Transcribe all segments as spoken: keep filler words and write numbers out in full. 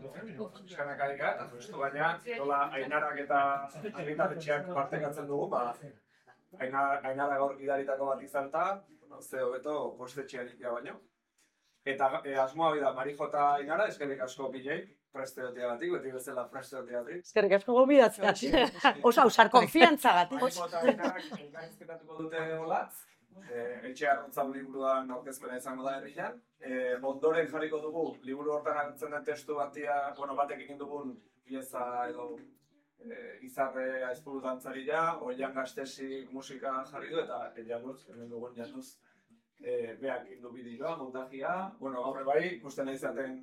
Eskanak adika, eta justu baina, nola Ainarak eta argitaletxeak partekatzen dugu, ba, Ainara gaur gidaritako bat izan eta, ze hobeto postetxean ikia baino. Eta e, asmoa bida, Marijo eta Ainara, eskerrik asko bileik, presteotea batik, beti bezala presteotea batik. Eskerrik asko gobidatzea. Osa, usar konfiantza gatik. Marijo eta Ainarak elkaizketatuko dute olatz. Eh, etxe arrontzau liburuan aurkezpena izango da herrian. Eh, ondoren jarriko dugu, liburu hortan agertzen den testu batia, bueno, batek egin dugun pieza edo eh, izarre aizpuru dantzarila, Oian Gastesi musika jarri du, eta Januz, hemen dugun Januz, eh, beak egin du bideoa, montajia. Bueno, gaur bai, ikusten nahi izaten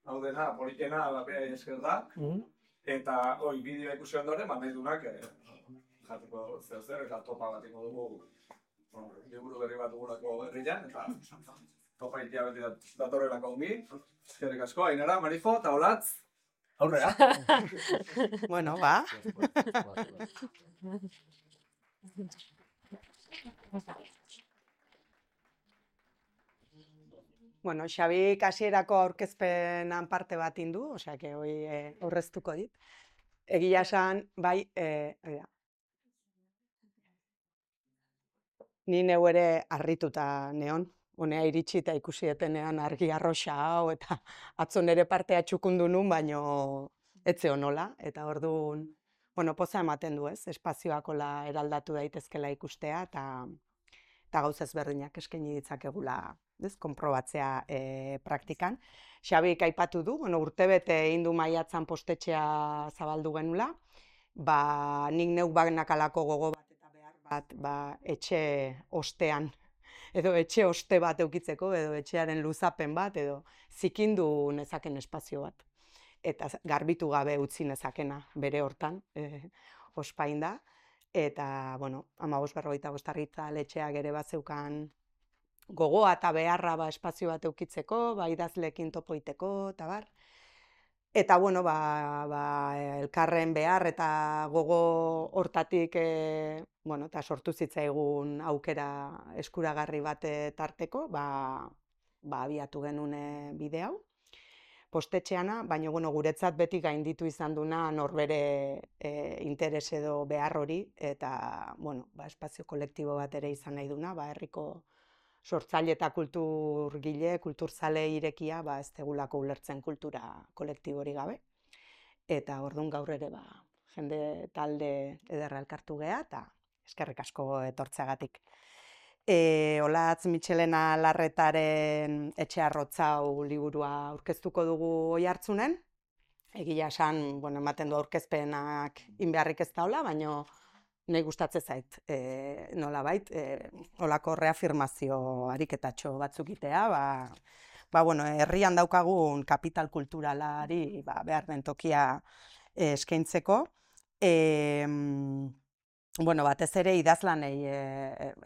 hau dena, politena, bapea esker da. Mm. Eta, oi, bideoa ikusi ondoren, ba, nahi dunak, eh, jateko zer zer, eta topa bat ingo dugu. Bueno, liburu berri bat dugulako herrian, eta topa itia beti datorrelako ongi. Eskerrik asko, Ainara, Marijo, eta Olatz. Aurrea. Bueno, ba. Bueno, Xabi kasierako aurkezpenan parte bat indu, osea, que hoi eh, aurreztuko dit. Egia esan, bai, eh, oida. Ni neu ere harrituta neon, honea iritsi eta ikusi etenean argi arroxa hau, eta atzo nere partea txukundu nun, baino etze honola, eta orduan, bueno, poza ematen du ez, espazioakola eraldatu daitezkela ikustea, eta eta gauza ezberdinak eskaini ditzakegula, ez, konprobatzea e, praktikan. Xabik aipatu du, bueno, urtebete egin du maiatzan postetxea zabaldu genula, ba, nik neuk banakalako gogo bat eta behar bat, ba, etxe ostean, edo etxe oste bat eukitzeko, edo etxearen luzapen bat, edo zikindu nezaken espazio bat. Eta garbitu gabe utzi nezakena bere hortan, e, ospain da. Eta, bueno, hamabost berrogeita bost argitaletxeak ere bat zeukan gogoa eta beharra ba, espazio bat eukitzeko, ba, idazleekin topoiteko, eta bar. Eta, bueno, ba, ba, elkarren behar eta gogo hortatik, e, bueno, eta sortu zitzaigun aukera eskuragarri bat tarteko, ba, ba, abiatu genuen bide hau. Postetxeana, baina, bueno, guretzat beti gainditu izan duna norbere e, interes edo behar hori, eta, bueno, ba, espazio kolektibo bat ere izan nahi duna, ba, herriko sortzaile eta kulturgile, kulturzale irekia, ba, ez tegulako ulertzen kultura kolektibori gabe. Eta orduan gaur ere, ba, jende talde ederra elkartu geha, eta eskerrik asko etortzeagatik. E, Olatz Mitxelena Larretaren Etxe Arrotzau liburua aurkeztuko dugu Oiartzunen. Egia esan, bueno, ematen du aurkezpenak inbeharrik ez daula, baina nahi gustatzen zait, e, nola bait, e, olako reafirmazio ariketatxo batzuk itea, ba, ba, bueno, herrian daukagun kapital kulturalari ba, behar den tokia e, eskaintzeko. E, bueno, batez ere idazlanei e,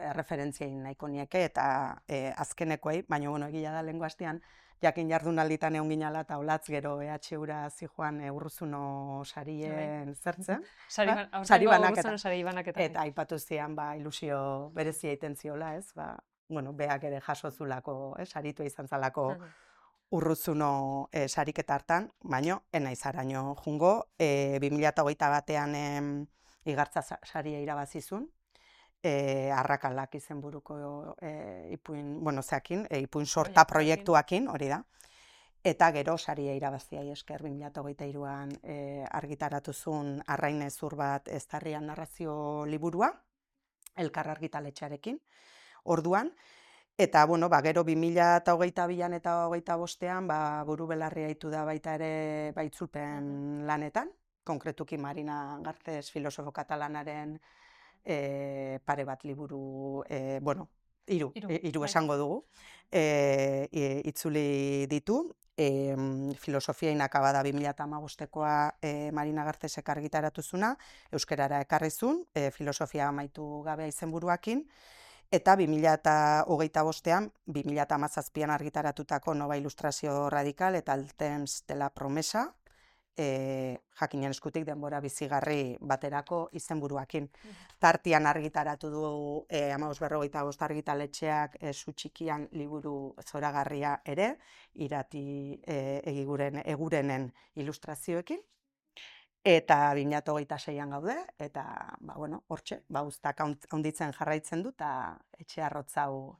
erreferentziei nahiko nieke eta e, azkenekoei, baina bueno, egia da lehengo hastean, jakin jardunalditan egon ginala eta Olatz gero E H Ura zijoan e, Urruzuno sarien zertzen. Sari banaketa. Eta aipatu zian, ba, ilusio berezia egiten ziola, ez? Ba, bueno, beak ere jaso zulako, eh, saritu izan zalako Urruzuno e, sariketa hartan, baino, enaiz araño jungo, e, bi mila hogeita batean e, igartza saria irabazizun, e, arrakalak izenburuko e, ipuin, bueno, zeakin, e, ipuin sorta proiektuakin, hori da. Eta gero saria irabazia esker bi mila hogeita hiruan e, argitaratu zuen Arrain Hezur bat eztarrian narrazio liburua, elkar argitaletxarekin, orduan. Eta, bueno, ba, gero bi mila hogeita bian eta hogeita bostean, ba, buru belarria hitu da baita ere baitzulpen lanetan, konkretuki Marina Garces filosofo katalanaren e, pare bat liburu, e, bueno, hiru, hiru esango dugu, e, itzuli ditu. E, filosofia inakabada bi mila hamabostekoa e, Marina Garcesek argitaratu zuna, euskerara ekarrizun, e, filosofia amaitu gabea izenburuakin, eta bi mila hogeita bostean, bi mila hamazazpian argitaratutako Nova Ilustrazio Radikal eta El temps de la promesa, e, jakinen eskutik denbora bizigarri baterako izenburuakin. Tartian argitaratu du e, hamabost berrogeita bost argitaletxeak e, Zu txikian liburu zoragarria ere, irati e, egiguren, egurenen ilustrazioekin. Eta bi mila hogeita seian gaude, eta, ba, bueno, hortxe, ba, uztak handitzen jarraitzen du, eta etxe arrotzau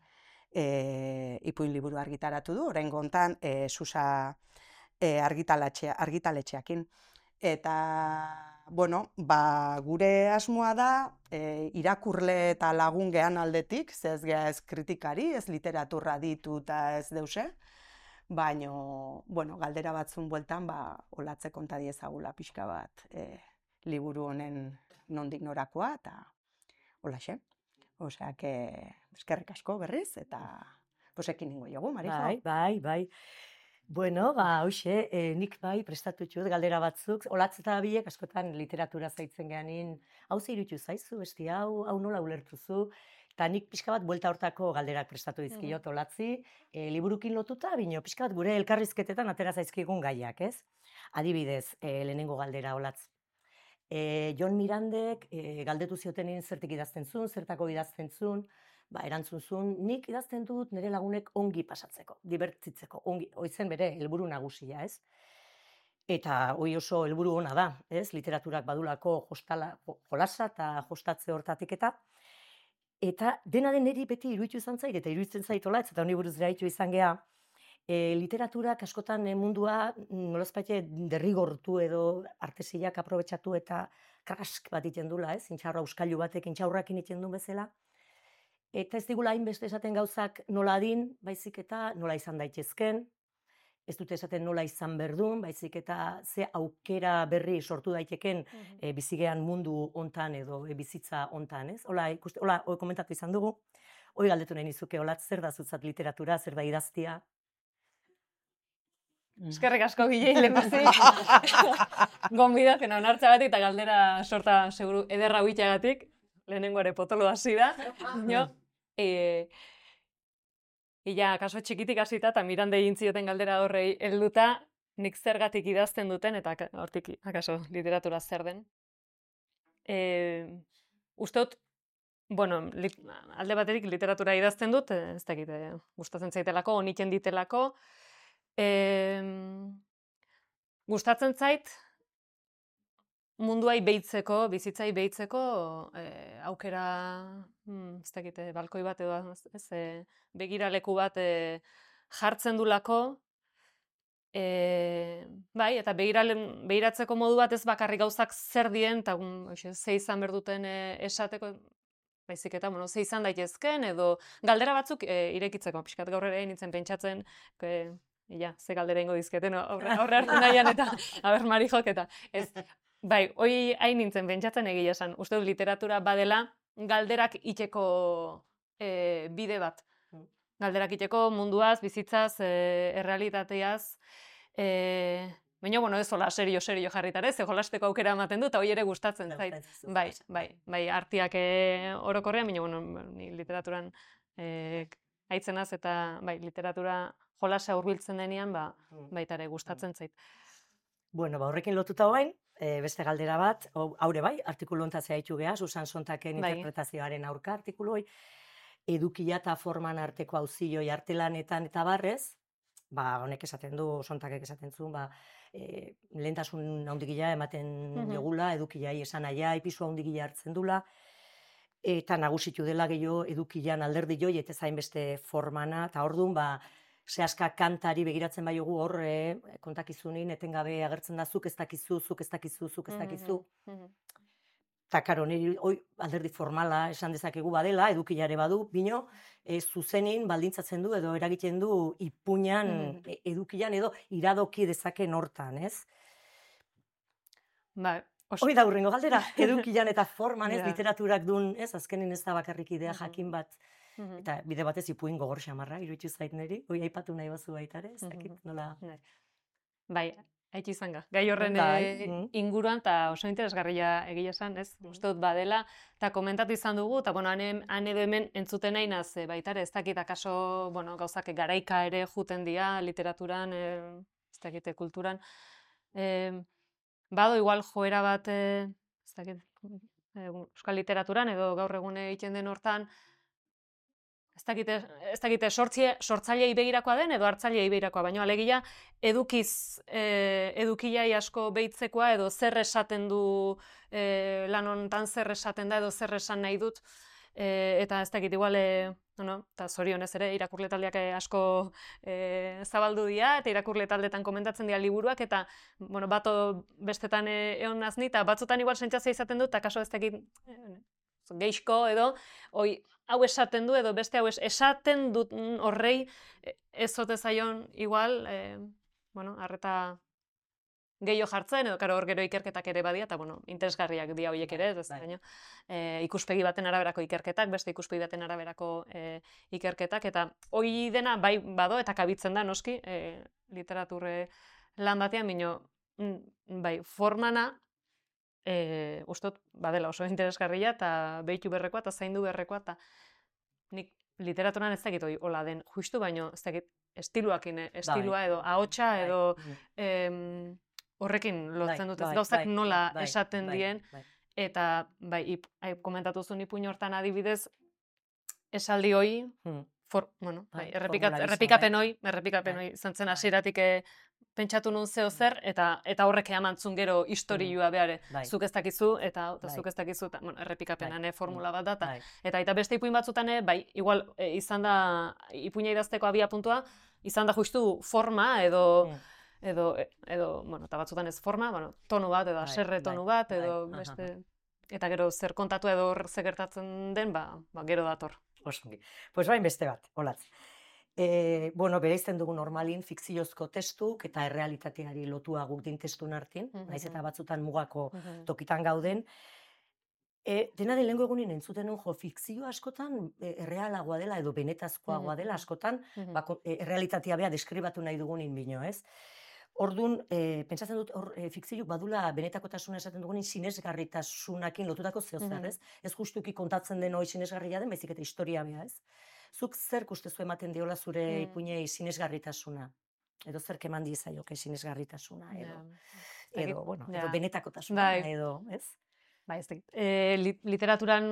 e, ipuin liburu argitaratu du, oraingo hontan e, Susa e, argitaletxeakin. Eta, bueno, ba, gure asmoa da, e, irakurle eta lagun gehan aldetik, ze ez geha ez kritikari, ez literaturra ditu eta ez deuse, baino, bueno, galdera batzun bueltan, ba, olatze konta diezagula pixka bat e, liburu honen nondik norakoa, eta holaxe. Osea, que eskerrik asko berriz, eta posekin ningo jogu, Marijo. Bai, bai, bai. Bueno, ba, hoxe, e, nik bai prestatu txut galdera batzuk, olatz eta biek askotan literatura zaitzen geanin, hau zeirutu zaizu, besti hau, hau nola ulertuzu, eta nik pixka bat buelta hortako galderak prestatu dizkiot olatzi, e, liburukin lotuta, bino pixka bat gure elkarrizketetan atera zaizkigun gaiak, ez? Adibidez, e, lehenengo galdera olatz. E, Jon Mirandek e, galdetu ziotenin zertik idazten zuen, zertako idazten zuen, ba, erantzun zuen, nik idazten dut nire lagunek ongi pasatzeko, dibertitzeko, ongi, oizen bere helburu nagusia, ez? Eta hoi oso helburu ona da, ez? Literaturak badulako jostala, jolasa eta jostatze hortatik eta eta dena den niri beti iruditu izan zait, eta iruditzen zaitola, eta honi buruz gaitu izan geha, E, literaturak askotan e, mundua nolazpaite derrigortu edo artesiak aprobetxatu eta krask bat iten dula, ez? Intxaurra euskailu batek intxaurrakin iten duen bezala. Eta ez digula hainbeste esaten gauzak nola adin, baizik eta nola izan daitezken, ez dute esaten nola izan berdun, baizik eta ze aukera berri sortu daiteken e, bizigean mundu hontan edo e, bizitza hontan, ez? Hola, ikuste, hola, hoi komentatu izan dugu, hoi galdetu nahi nizuke, hola, zer da zutzat literatura, zer da idaztia? Eskerrik asko gilei lehenbazi. Gonbidatzen onartza batik eta galdera sorta seguru ederra huitxagatik. Lehenengo ere potolo hasi da. No? E, Ila, kaso txikitik hasita eta Mirande egin zioten galdera horrei helduta, nik zergatik idazten duten eta hortik akaso literatura zer den. E, Usteot, bueno, li, alde baterik literatura idazten dut, ez dakit, gustatzen zaitelako, onitzen ditelako, E, gustatzen zait munduai behitzeko, bizitzai behitzeko e, aukera, hmm, ez dakit, balkoi bat edo ez, e, begiraleku bat e, jartzen dulako, e, bai, eta begiratzeko modu bat ez bakarrik gauzak zer dien, eta ze izan berduten e, esateko, baizik eta, bueno, ze izan daitezken, edo galdera batzuk e, irekitzeko, pixkat gaur ere nintzen pentsatzen, e, Ila, ze galdera ingo dizketen, aurre hartu nahian eta, aber, Marijok eta, ez, bai, hoi hain nintzen pentsatzen egia esan, uste dut literatura badela galderak iteko e, bide bat. Galderak iteko munduaz, bizitzaz, e, errealitateaz, e, baina, bueno, ez hola serio, serio jarritare, ze jolasteko aukera ematen du, eta hoi ere gustatzen zait. Bai, bai, bai, artiak e, orokorrean, baina, bueno, ni literaturan e, aitzenaz eta, bai, literatura jolasa hurbiltzen denean, ba, baita ere gustatzen zait. Bueno, ba, horrekin lotuta hoain, e, beste galdera bat, haure bai, artikulu ontatzea ditu geha, Susan Sontaken bai. Interpretazioaren aurka artikulu hoi, edukia eta forman arteko auzioi artelanetan eta barrez, ba, honek esaten du, Sontakek esaten zuen, ba, e, lehentasun handigila ematen mm-hmm. jogula, edukiai esan aia, ipisua handigila hartzen dula, eta nagusitu dela gehiago edukian alderdi joi, eta zain beste formana, eta orduan, ba, Sehaska kantari begiratzen bai jogu hor, eh, kontakizunin, etengabe agertzen da, zuk ez dakizu, zuk ez dakizu, zuk ez dakizu. Eta, karo, niri alderdi formala esan dezakegu badela, edukilare badu, bino, e, zuzenin baldintzatzen du edo eragiten du ipuñan, mm-hmm. edukian edo iradoki dezaken hortan, ez? Ba, hoi da hurrengo galdera, edukian eta forman, ez, yeah. Literaturak duen, ez, azkenin ez da bakarrik idea jakin bat. Mm-hmm. Eta bide batez ipuin gogor xamarra, iruditu zait niri, hoi aipatu nahi bazu baita ere, ez dakit, nola... Bai, haitxe izan ga. Gai horren e, inguruan, eta oso interesgarria egia esan, ez? Mm. Uste dut badela, eta komentatu izan dugu, eta bueno, han edo hemen entzuten nahi naz, baita ere, ez dakit, akaso, bueno, gauzak garaika ere juten dira, literaturan, e, ez dakit, kulturan. E, bado igual joera bat, eh, ez dakit, eh, euskal literaturan edo gaur egun egiten den hortan, ez dakite, ez dakite sortzie, sortzailei begirakoa den edo hartzailei begirakoa, baina alegia edukiz, eh, edukilai asko behitzekoa edo zer esaten du eh, lan honetan zer esaten da edo zer esan nahi dut, eh, eta ez dakit igual, eh, no, eta zorionez ere irakurle taldeak asko eh, zabaldu dira eta irakurle taldetan komentatzen dira liburuak eta bueno, bato bestetan eh, egon nazni eta batzutan igual sentsazioa izaten dut eta kaso ez dakit eh, geixko edo oi, hau esaten du edo beste hau es, esaten dut horrei ez ote zaion igual, eh, bueno, arreta gehiago jartzen, edo karo hor gero ikerketak ere badia, eta bueno, interesgarriak dira horiek ere, ez baina e, ikuspegi baten araberako ikerketak, beste ikuspegi baten araberako e, ikerketak, eta hori dena bai bado eta kabitzen da noski, e, literaturre lan batean, bino, bai, formana, e, ustot, badela oso interesgarria, eta behitu berrekoa, eta zaindu berrekoa, eta nik literaturan ez dakit hori hola den justu, baino ez dakit estiluakin, estilua edo ahotsa edo em, horrekin lotzen dut, ez gauzak nola esaten dien, eta bai, ip, komentatu zuen ipuin hortan adibidez, esaldi hoi, for, bueno, bai, errepikapen hoi, errepikapen hoi, zentzen hasieratik pentsatu nun zeo zer, eta eta horrek emantzun gero historioa behare, zuk ez dakizu, eta zuk ez dakizu, eta bueno, errepikapenan formula bat da, eta eta beste ipuin batzutan, bai, igual, izan da, ipuina idazteko abia puntua, izan da justu forma, edo, edo, edo, bueno, eta batzutan ez forma, bueno, tonu bat, edo aserre tonu bat, edo beste, eta gero zer kontatu edo zer gertatzen den, ba, gero dator. Osongi. Pues bain beste bat, olatz. E, bueno, bereizten dugu normalin fikziozko testuk eta errealitateari lotua guk din testun hartin, naiz eta batzutan mugako tokitan gauden. E, dena den lehenko egunin entzuten nun jo, fikzio askotan e, errealagoa dela edo benetazkoagoa dela askotan, bako, e, errealitatea bea deskribatu nahi dugunin bino, ez? Orduan, e, pentsatzen dut, hor, e, fikziuk badula benetakotasuna esaten dugunin sinesgarritasunakin lotutako zehozer, ez? Ez justuki kontatzen den hori sinesgarria den, baizik eta historia bea, ez? Zuk zer ustezu ematen diola zure mm. ipuinei sinesgarritasuna? Edo zer keman diezaioke sinesgarritasuna? Edo, yeah. edo, bueno, yeah. edo benetakotasuna, bai. Edo, ez? Bai, ez dakit. E, literaturan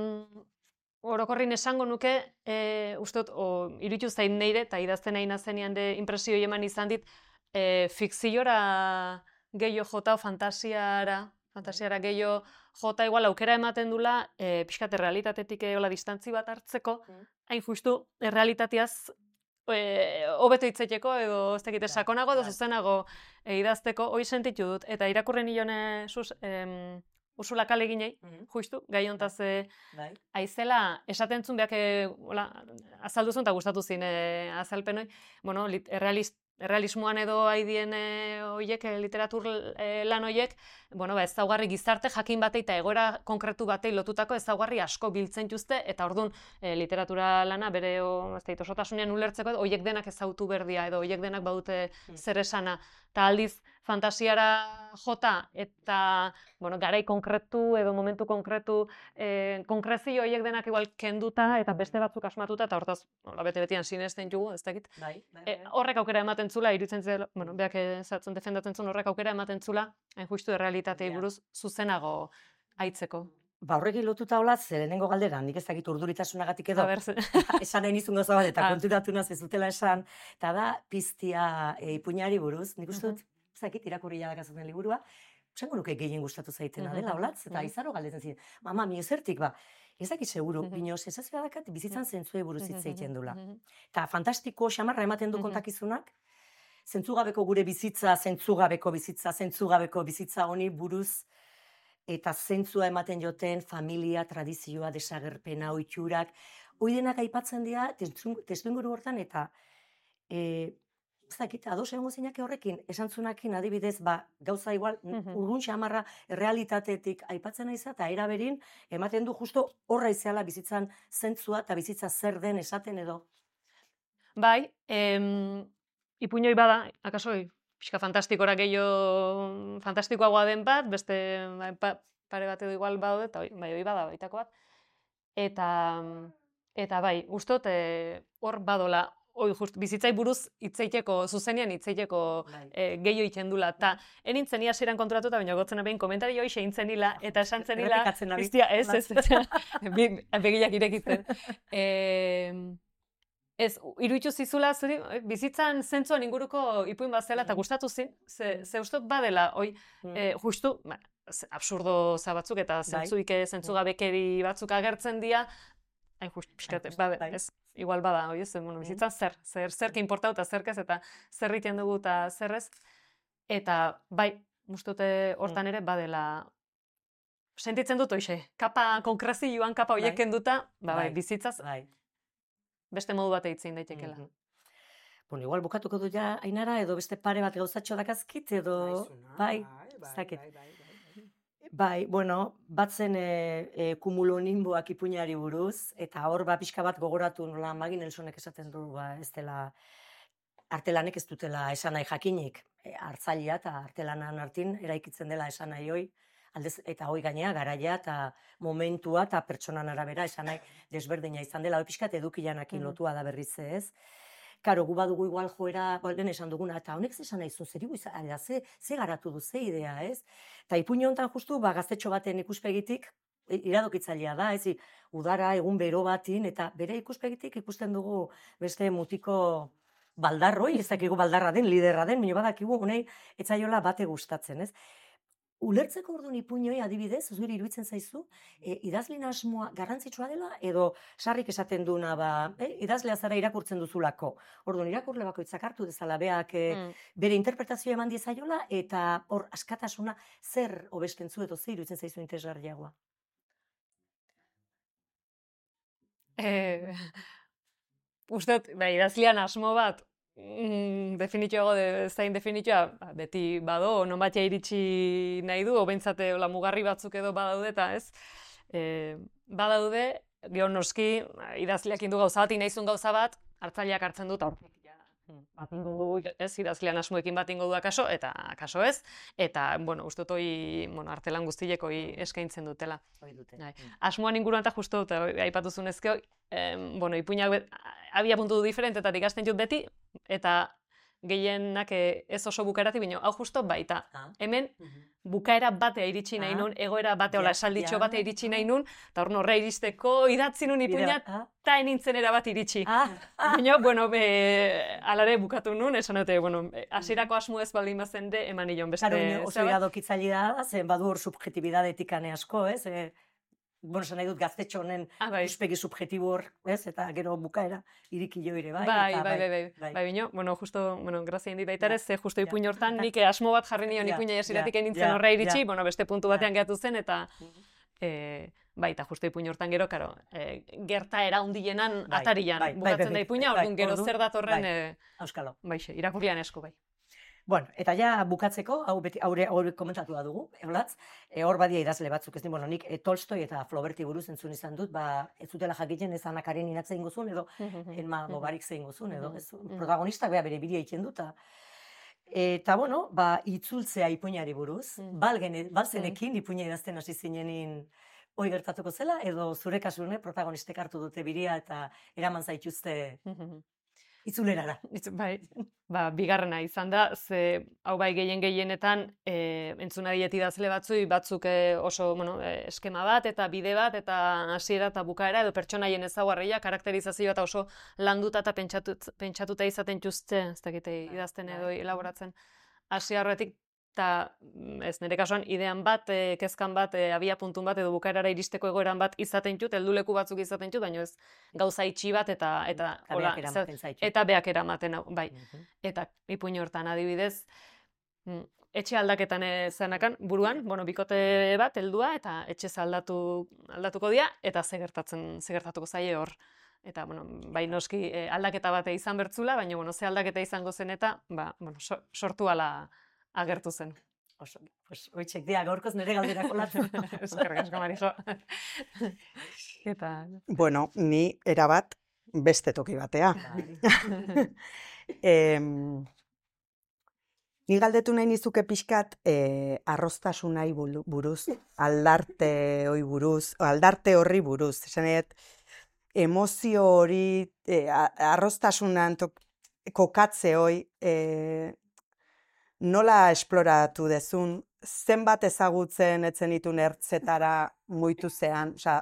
orokorrin esango nuke, e, ustot, iruditu zain neire, eta idazten nahi nazenean de impresio eman izan dit, e, fikziora gehiago jota, fantasiara, fantasiara gehiago jota igual aukera ematen dula, e, pixkate realitatetik eola distantzi bat hartzeko, mm. hain justu, errealitateaz hobeto e, hitzeteko edo ez dakite sakonago edo zuzenago e, idazteko, hori sentitu dut, eta irakurren hilone sus, em, Ursula K. Le Guinei, mm-hmm. justu, gai hontaz e, aizela, esaten zuen behak, azaldu zuen eta gustatu zin e, azalpenoi, bueno, lit, errealist, errealismoan edo haidien hoiek, literatur lan hoiek, bueno, ba, ezaugarri gizarte jakin batei eta egoera konkretu batei lotutako ezaugarri asko biltzen juzte, eta orduan e, literatura lana bere osotasunean ulertzeko, hoiek denak ezautu berdia, edo hoiek denak badute mm. zer esana, eta aldiz fantasiara jota, eta bueno, garai konkretu edo momentu konkretu, e, konkrezio horiek denak igual kenduta, eta beste batzuk asmatuta, eta hortaz, nola bete-betian sinesten jugu, ez dakit. Bai, bai, bai. E, horrek aukera ematen zula, iruditzen zela, bueno, beak ezatzen defendatzen zuen horrek aukera ematen zula, hain justu errealitatei buruz zuzenago aitzeko. Ba, horrekin lotuta olatz, lehenengo galdera, nik ez dakit urduritasunagatik edo, esan nahi nizun gauza bat, eta konturatu naz ez dutela esan, eta da, piztia e, ipuinari buruz, nik uste dut, ez dakit irakurri jadakazaten liburua, esango nuke gehien gustatu zaitena dela, olatz, eta izaro galdetzen ziren, mama, mi ezertik, ba, ez dakit seguru, bino, sensazioa dakat, bizitzan zentzue buruz hitz egiten dula. Eta fantastiko xamarra ematen du kontakizunak, zentzugabeko gure bizitza, zentzugabeko bizitza, zentzugabeko bizitza honi buruz, eta zentzua ematen joten familia, tradizioa, desagerpena, ohiturak, hori denak aipatzen dira testuinguru hortan, eta e, ez dakit, ados egongo zeinak horrekin, esantzunakin adibidez, ba, gauza igual, urrun xamarra errealitatetik aipatzen aiza, eta eraberin, ematen du justo horra izeala bizitzan zentzua, eta bizitza zer den esaten edo. Bai, em, ipuinoi bada, akasoi, pixka fantastikora gehiago fantastikoagoa den bat, beste ba, pa, pare bat edo igual badaude, eta bai, hori bada baitako bat. Eta, eta bai, ustot, hor e, badola oi, just, bizitzai buruz hitzeiteko, zuzenean hitzeiteko Bai. e, gehiago egiten dula. Ta, enintzen ia hasieran kontratuta, baina gotzen behin komentario hoxe eintzen nila, eta esan zen nila, Errepikatzen nabil. iztia, ez, ez, ez, bi- begiak irekitzen. E, ez, iruditu zizula, zuri, bizitzan zentzuan inguruko ipuin bat zela, eta gustatu zin, ze, ze ustot badela, oi, Mm. e, justu, ba, ze- absurdo za batzuk, eta zentzuik, zentzugabekeri batzuk agertzen dira, hain just, pixkat, just, bada, bai. ez, igual bada, oi, ez, bueno, bizitzan zer, zer, zer importau eta zerkez, eta zer egiten dugu eta zerrez, eta bai, ustute hortan ere badela, sentitzen dut hoxe, kapa konkrezioan kapa hoiek Bai. kenduta, ba, bai, Bai. bizitzaz Bai. beste modu bat eitzen daitekela. Mhm. Bueno, igual bukatuko du ja, Ainara, edo beste pare bat gauzatxo dakazkit, edo... Bai, ez dakit. Bai, bueno, batzen e, e, kumulonimboak ipuinari buruz, eta hor ba pixka bat gogoratu nola Maggie Nelsonek esaten du, ba, ez dela, artelanek ez dutela esan nahi jakinik, e, hartzailea eta artelanan artin eraikitzen dela esan nahi hoi, aldez, eta hoi gainea garaia eta momentua eta pertsonan arabera esan nahi desberdina izan dela, hoi pixkat edukilanakin Mhm. lotua da berriz ez. Karo, gu badugu igual joera, lehen esan duguna, eta honek zesan nahi zuen, zer izan, da, ze, ze garatu du, ze idea, ez? Eta ipuin honetan justu, ba, gaztetxo baten ikuspegitik, i- iradokitzailea da, ez? Udara, egun bero batin, eta bere ikuspegitik ikusten dugu beste mutiko baldarroi, ez dakigu baldarra den, liderra den, baina badakigu honei etzaiola bate gustatzen, ez? Ulertzeko orduan ipuinoi adibidez, zuri iruditzen zaizu, e, idazlin asmoa garrantzitsua dela, edo sarrik esaten duna, ba, e, idazlea zara irakurtzen duzulako. Orduan irakurle bakoitzak hartu dezala beak e, Mm. bere interpretazioa eman diezaiola, eta hor askatasuna zer hobesten zu edo zer iruditzen zaizu interesgarriagoa. Eh, uste dut, ba, idazlean asmo bat, mm, definitioago de, zain definitioa, ba, beti bado, non batia iritsi nahi du, obentzate hola mugarri batzuk edo badaude, eta ez, e, badaude, gero noski, ba, idazleak indu gauza bat, inaizun gauza bat, hartzaileak hartzen dut, hortik, ja, bat ingo du, ez, idazlean asmoekin bat ingo du akaso, eta akaso ez, eta, bueno, uste dut hoi, bueno, artelan guztiek hoi eskaintzen dutela. Hoi dute. Bai. Asmoan inguruan eta justu, eta aipatu zunezkeo, em, bueno, ipuinak bet- abia puntu diferentetatik ikasten dut beti, eta gehienak eh, ez oso bukaerati, baina hau justo baita. Ah. Hemen Mhm. bukaera bate iritsi nahi Ah. nun, egoera bate, hola Ja, esalditxo ja. bate iritsi nahi nun, eta hor norra iristeko idatzi nun ipuina, Ah, eta enintzen erabat iritsi. ah, ah. Baina, bueno, be, alare bukatu nun, esan dute, bueno, eh, hasierako asmo ez baldin bazen de, eman nion beste... Claro, baina oso zera bat. iradokitzailea da, zen badu hor subjetibidadetik ane asko, ez? E, bueno, esan nahi dut gaztetxo honen Ah, bai. ikuspegi subjetibo hor, ez? Eta gero bukaera irikilo ere bai. Bai, eta bai, bai, bai, bai. bai, bino, bueno, justo, bueno, grazia indi baita Ja, ere, ze justo ja. ipuin hortan, nik asmo bat jarri nion Ja, ipuina jasiratik ja, enintzen ja, horra iritsi, ja. bueno, beste puntu Ja. batean gehatu zen, eta, e, bai, eta justo ipuin hortan gero, karo, e, gertaera hundienan Bai, atarian bai, bai, bukatzen bai, da ipuina, bai, orduan gero orduan, zer datorren, bai. e, Auskalo. baixe, irakurlian esku, bai. Bueno, eta ja bukatzeko, hau beti aurre aurre komentatu da dugu, Eulatz, e, hor badia idazle batzuk, ez ni, bueno, nik e, Tolstoi eta Flauberti buruz entzun izan dut, ba, ez zutela jakiten ez Ana Kareninat zein gozun, edo Enma Mobarik zein gozun, edo, ez, protagonistak beha bere bidia egiten duta. Eta, bueno, ba, itzultzea ipuinari buruz, Mm. balgen, balzenekin ipuina idazten hasi zinenin hoi gertatuko zela, edo zure kasune protagonistek hartu dute biria eta eraman zaituzte itzulerara. Itz- Bai, ba, bigarrena izan da, ze hau bai gehien gehienetan e, entzuna diet idazle batzui, batzuk e, oso bueno, e, eskema bat eta bide bat eta hasiera eta bukaera edo pertsonaien ezaugarria, karakterizazioa eta oso landuta eta pentsatu, pentsatuta izaten txuzte, ez dakite idazten edo bai. elaboratzen hasi aurretik, eta ez nire kasuan idean bat, e, kezkan bat, e, abia puntun bat edo bukaerara iristeko egoeran bat izaten tut, helduleku batzuk izaten tut, baina ez gauza itxi bat eta eta Eta hola, beak zer- eramaten zaitu. eta beak eramaten hau, bai. Mhm. Eta ipuin hortan adibidez, mm, etxe aldaketan zanakan, buruan, bueno, bikote bat, heldua, eta etxe aldatu, aldatuko dira, eta ze gertatzen, ze gertatuko zaie hor. Eta, bueno, bai noski eh, aldaketa bate izan bertzula, baina, bueno, ze aldaketa izango zen eta, ba, bueno, so, sortu ala agertu zen. Oso, pues, oitxek dia, gaurkoz nire galderako latzen. Eskerrik asko, Marijo. Eta, Bueno, ni erabat beste toki batea. Bai. Em, ni galdetu nahi nizuke pixkat eh, arroztasunai bulu- buruz, aldarte hori buruz, o aldarte horri buruz. Esan nahi dut, emozio hori, e, arroztasunan kokatze hoi, e, nola esploratu dezun, zenbat ezagutzen etzen itun ertzetara muitu zean, osea,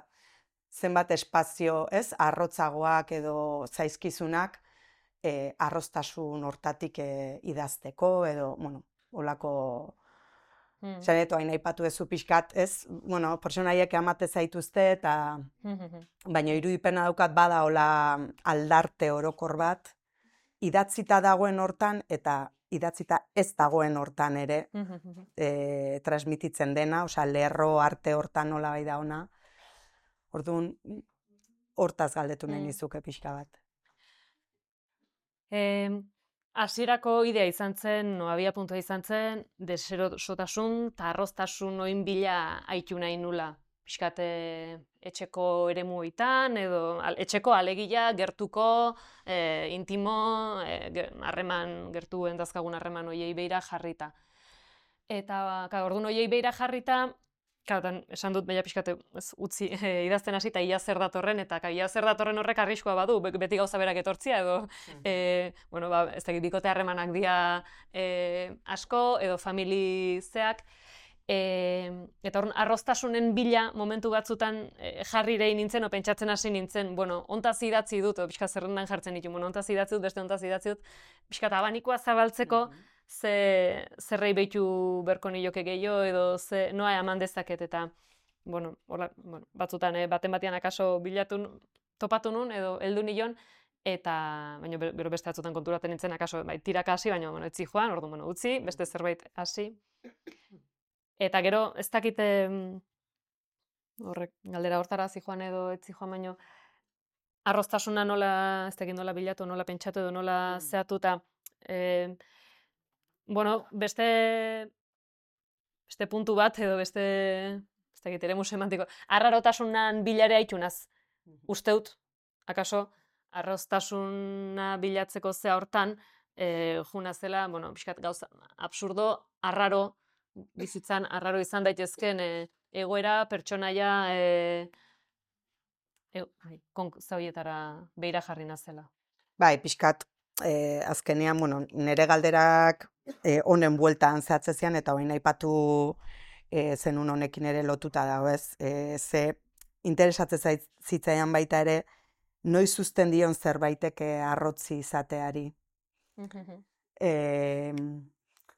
zenbat espazio, ez, arrotzagoak edo zaizkizunak, e, arroztasun hortatik e, idazteko, edo, bueno, olako, Mm. zanetu hain aipatu ezu pixkat, ez, bueno, pertsonaiek amate zaituzte, eta, baina irudipena daukat bada hola aldarte orokor bat, idatzita dagoen hortan, eta idatzita ez dagoen hortan ere, e, transmititzen dena, osea, lerro arte hortan nola bai da ona, orduan, hortaz galdetu nahi Mm. nizuke pixka bat. Eh, hasierako idea izan zen, no, abia puntua izan zen, deserosotasun eta arroztasun oin bila aitu nahi nula. Pixkate etxeko eremuetan, edo al, etxeko alegia, gertuko, eh, intimo, eh, harreman, gertu endazkagun harreman oiei beira jarrita. Eta, ka, orduan oiei beira jarrita, Kautan, esan dut beha pixkate ez, utzi e, idazten hasi eta ia zer datorren, eta ka, ia zer datorren horrek arriskoa badu, beti gauza berak etortzia, edo, e, bueno, ba, ez dakit bikote harremanak dira e, asko, edo familizeak, e, eta orduan, arroztasunen bila momentu batzutan e, jarri rei nintzen, o pentsatzen hasi nintzen, bueno, ontaz idatzi dut, o pixka zerrendan jartzen ditu, bueno, ontaz idatzi dut, beste ontaz idatzi dut, pixka abanikoa zabaltzeko, ze zerrei behitu berko nioke gehiago, edo ze noa eman dezaket, eta bueno, hola, bueno, batzutan eh, baten batean akaso bilatu topatu nun, edo heldu nion, eta baina bero beste batzutan konturaten nintzen akaso bai, tiraka hasi, baina bueno, etzi joan, orduan bueno, utzi, beste zerbait hasi. Eta gero, ez dakite horrek galdera hortara hasi joan edo etzi joan, baino arroztasuna nola, ez dakit nola bilatu, nola pentsatu edo nola zehatu, eta eh, bueno, beste, beste puntu bat, edo beste, ez dakit, eremu semantiko, arrarotasunan bilare haitunaz, usteut, akaso, arroztasuna bilatzeko zea hortan, e, juna zela, bueno, pixkat gauza, absurdo, arraro, bizitzan, arraro izan daitezken e, egoera, pertsonaia, e, e, zauietara beira jarri nazela. Bai, pixkat, eh, azkenean, bueno, nire galderak eh, honen bueltan zehatzezian, eta hoin aipatu eh, zenun honekin ere lotuta dago, ez? Eh, ze interesatzen zitzaian baita ere, noiz uzten dion zerbaitek arrotzi izateari. eh,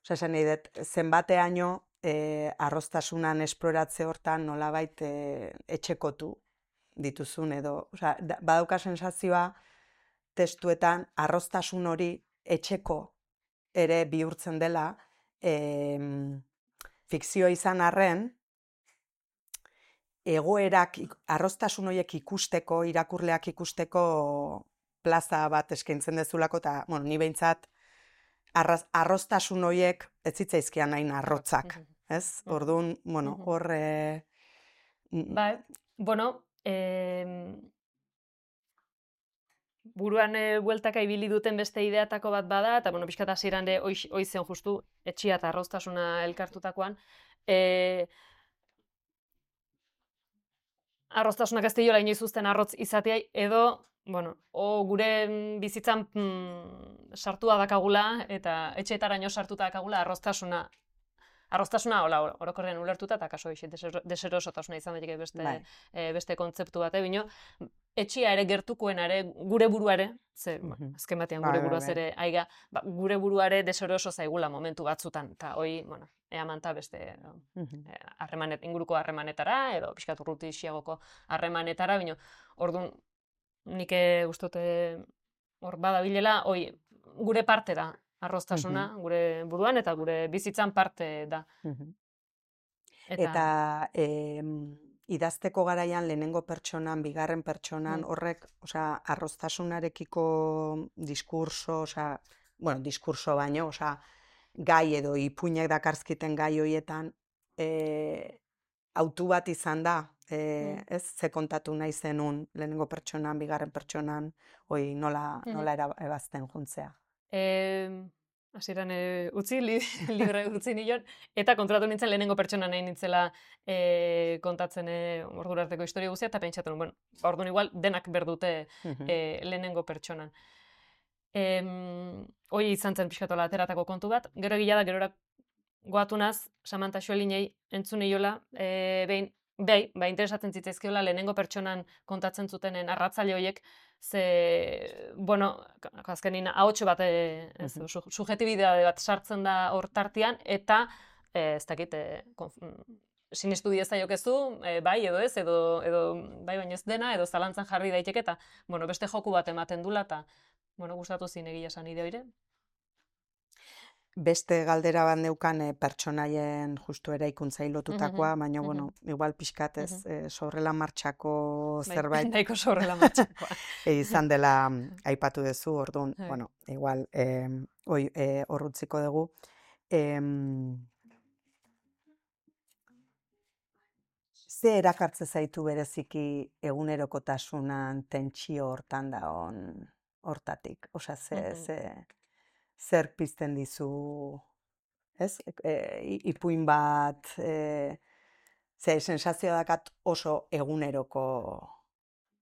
Osa, esan nahi dut, zenbateaino eh, arroztasunan esploratze hortan nolabait eh, etxekotu dituzun, edo, osa, badauka sensazioa, testuetan arroztasun hori etxeko ere bihurtzen dela, e, fikzio izan arren, egoerak, arroztasun horiek ikusteko, irakurleak ikusteko plaza bat eskaintzen dezulako, eta, bueno, ni behintzat, arroztasun horiek ez zitzaizkian hain arrotzak, ez? Orduan, bueno, hor... E, bai, bueno, eh, buruan e, bueltaka ibili duten beste ideatako bat bada, eta bueno, pixkat hasieran ere hoi zen justu etxia eta arroztasuna elkartutakoan, e, arroztasunak ez diola inoiz uzten arrotz izatea, edo, bueno, o gure bizitzan mm, sartua dakagula, eta etxeetaraino sartuta dakagula arroztasuna, arroztasuna, hola, orokorrean ulertuta, eta kaso eixit, deserosotasuna izan daiteke beste, e, beste kontzeptu bat, bino, etxia ere gertukoen ere, gure buruare, ze, uh -huh. azken batean gure buruaz ere, aiga, ba, gure buruare deseroso zaigula momentu batzutan, eta hoi, bueno, ea manta beste harremanet, uh -huh. inguruko harremanetara, edo pixkat urruti isiagoko harremanetara, bino, orduan, nik ustote hor badabilela, hoi, gure parte da, arroztasuna, uh -huh. gure buruan, eta gure bizitzan parte da. Uh -huh. Eta, eta e, idazteko garaian lehenengo pertsonan, bigarren pertsonan, mm. horrek, osea, arroztasunarekiko diskurso, osea, bueno, diskurso baino, osea, gai edo ipuinek dakarzkiten gai horietan, e, autu bat izan da, e, mm. ez, ze kontatu nahi zenun lehenengo pertsonan, bigarren pertsonan, hoi nola, mm. nola ebazten juntzea. Eh, hasieran e, utzi, li, libre utzi nion, eta kontratu nintzen lehenengo pertsona nahi nintzela e, kontatzen e, ordura arteko historia guztia, eta pentsatu nuen, bueno, ba, orduan igual denak berdute e, lehenengo pertsonan. Em, hoi izan zen pixkatola ateratako kontu bat, gero egila da, gerora goatu naz, Samantha Xoelinei entzun eiola, e, behin, behi, ba, interesatzen zitzaizkiola lehenengo pertsonan kontatzen zutenen arratzaile horiek, ze, bueno, azkenin ahotxo bat, e, ez, su, subjetibidade bat sartzen da hor tartean, eta, e, ez dakit, e, konf, sinestu diezaiokezu, e, bai edo ez, edo, edo bai baino ez dena, edo zalantzan jarri daiteke, eta, bueno, beste joku bat ematen dula, eta, bueno, gustatu zin egia esan ide hori. Beste galdera bat neukan e, pertsonaien justu eraikuntzai lotutakoa, baina, bueno, igual pixkat ez, e, sorrela martxako zerbait. Bai, nahiko sorrela martxakoa. e, izan dela aipatu duzu, orduan, bueno, igual, e, oi, e, horrutziko dugu. E, ze erakartze zaitu bereziki egunerokotasunan tentsio hortan da on hortatik? Osa, ze, ze... zer pizten dizu, ez? E, ipuin bat, e, ze sensazioa dakat oso eguneroko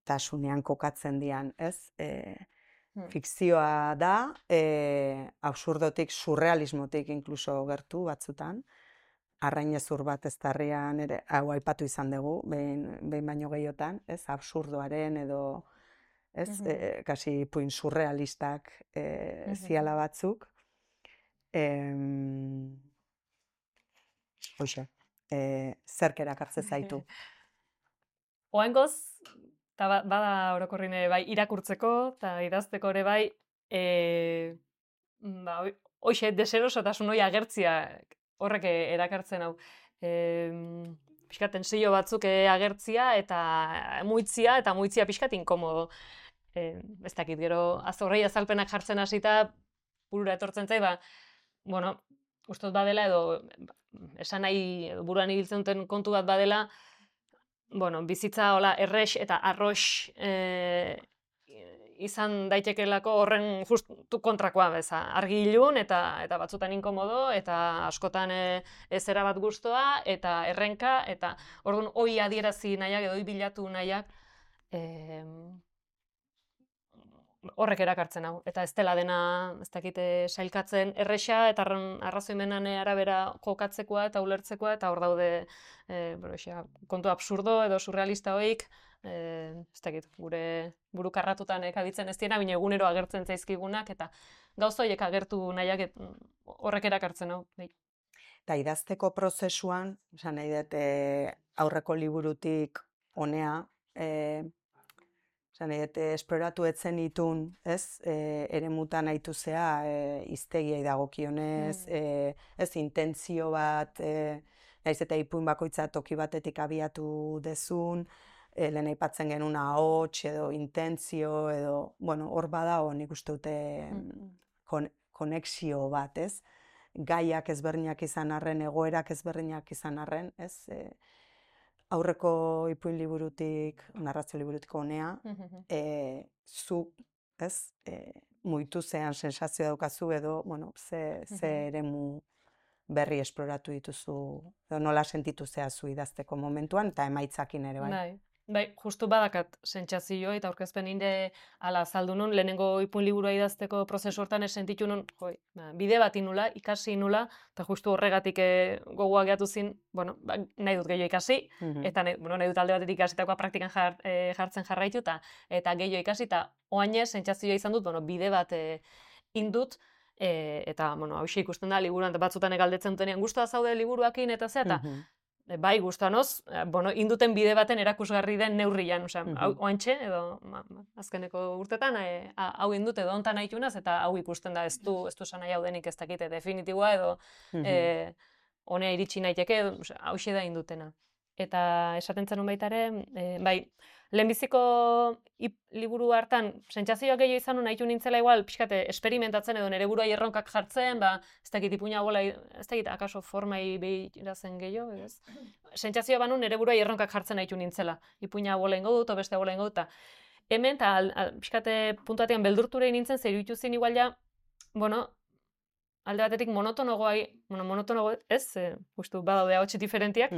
tasunean kokatzen dian, ez? E, fikzioa da, e, absurdotik, surrealismotik inkluso gertu batzutan, arrainezur bat ez darrian ere, hau aipatu izan dugu, behin, behin baino gehiotan, ez? Absurdoaren edo, ez, uh -huh. e, kasi ipuin surrealistak e, uh -huh. ziala batzuk. E, Hoxe, e, zerk erakartze zaitu. Oaingoz, eta bada orokorrin ere bai irakurtzeko, eta idazteko ere bai, e, ba, hoxe, deserosotasun hori agertzia horrek erakartzen hau. E, pixkat tensio batzuk agertzia eta muitzia, eta muitzia pixkat inkomodo. E, ez dakit, gero azorrei azalpenak jartzen hasita burura etortzen zai, ba, bueno, ustot badela edo esan nahi buruan ibiltzen duten kontu bat badela, bueno, bizitza hola errex eta arrox e, izan daitekelako horren justu kontrakoa beza. Argi ilun eta, eta batzutan inkomodo, eta askotan e, ez erabat gustoa, eta errenka, eta orduan hoi adierazi nahiak edo hoi bilatu nahiak, e, horrek erakartzen hau. Eta ez dela dena, ez dakite, sailkatzen erresa, eta arrazoimenan arabera jokatzekoa eta ulertzekoa, eta hor daude e, bero, kontu absurdo edo surrealista hoik, e, ez dakit, gure burukarratutan ekabitzen ez diena, bine egunero agertzen zaizkigunak, eta gauza horiek agertu nahiak horrek erakartzen hau. Eta idazteko prozesuan, esan nahi dut, e, aurreko liburutik honea, e, esploratu etzen itun, ez, e, ere mutan haitu zea, e, iztegiai dagokionez, mm. e, ez, intentzio bat, e, naiz eta ipuin bakoitza toki batetik abiatu dezun, e, lehen aipatzen genuen ahots edo intentzio edo, bueno, hor bada hor nik uste dute mm. kon, konexio bat, ez, gaiak ezberdinak izan arren, egoerak ezberdinak izan arren, ez, e, aurreko ipuin liburutik, narrazio liburutik honea, e, zu, ez, e, muitu zean sensazio daukazu edo, bueno, ze, ze eremu berri esploratu dituzu, edo nola sentitu zea zu idazteko momentuan, eta emaitzakin ere, bai? Bai, bai, justu badakat sentsazio eta aurkezpen inde ala azaldu nun, lehenengo ipuin liburua idazteko prozesu hortan ez sentitu nun, joi, ba, bide bat inula, ikasi inula, eta justu horregatik e, gogoa gehatu zin, bueno, ba, nahi dut gehiago ikasi, mm-hmm. eta nahi, bueno, nahi dut alde batetik ikasitakoa praktikan jar, e, jartzen jarraitu, eta, eta gehiago ikasi, eta oainez sentsazioa izan dut, bueno, bide bat e, indut, e, eta, bueno, hau ikusten da, liburuan batzutan egaldetzen dutenean guztua zaude liburuakin, eta ze, eta, mm-hmm. bai, guztanoz, bueno, induten bide baten erakusgarri den neurrian, osea, mm-hmm. hau oantxe, edo ma, azkeneko urtetan, e, hau indut edo ontan nahitunaz, eta hau ikusten da, ez du, ez du esan nahi hau denik ez dakite definitiboa, edo mm-hmm. e, honea iritsi naiteke, edo, osea, hau da indutena. Eta esaten zenun baitare, e, bai, lehenbiziko liburu hartan, sentsazioak gehiago izan nun nahitu nintzela igual, pixkate, esperimentatzen edo nere buruai erronkak jartzen, ba, ez dakit ipuina bola, ez dakit akaso formai behirazen gehiago, ez? Sentsazioa banu nere buruai erronkak jartzen nahitu nintzela. Ipuina bola ingo dut, o beste bola ingo dut, eta hemen, eta pixkate puntuatean beldurturei nintzen, zer iruditu zin igual ja, bueno, alde batetik monotonogoai, bueno, monotonogo ez, e, justu badaude ahots diferentiak,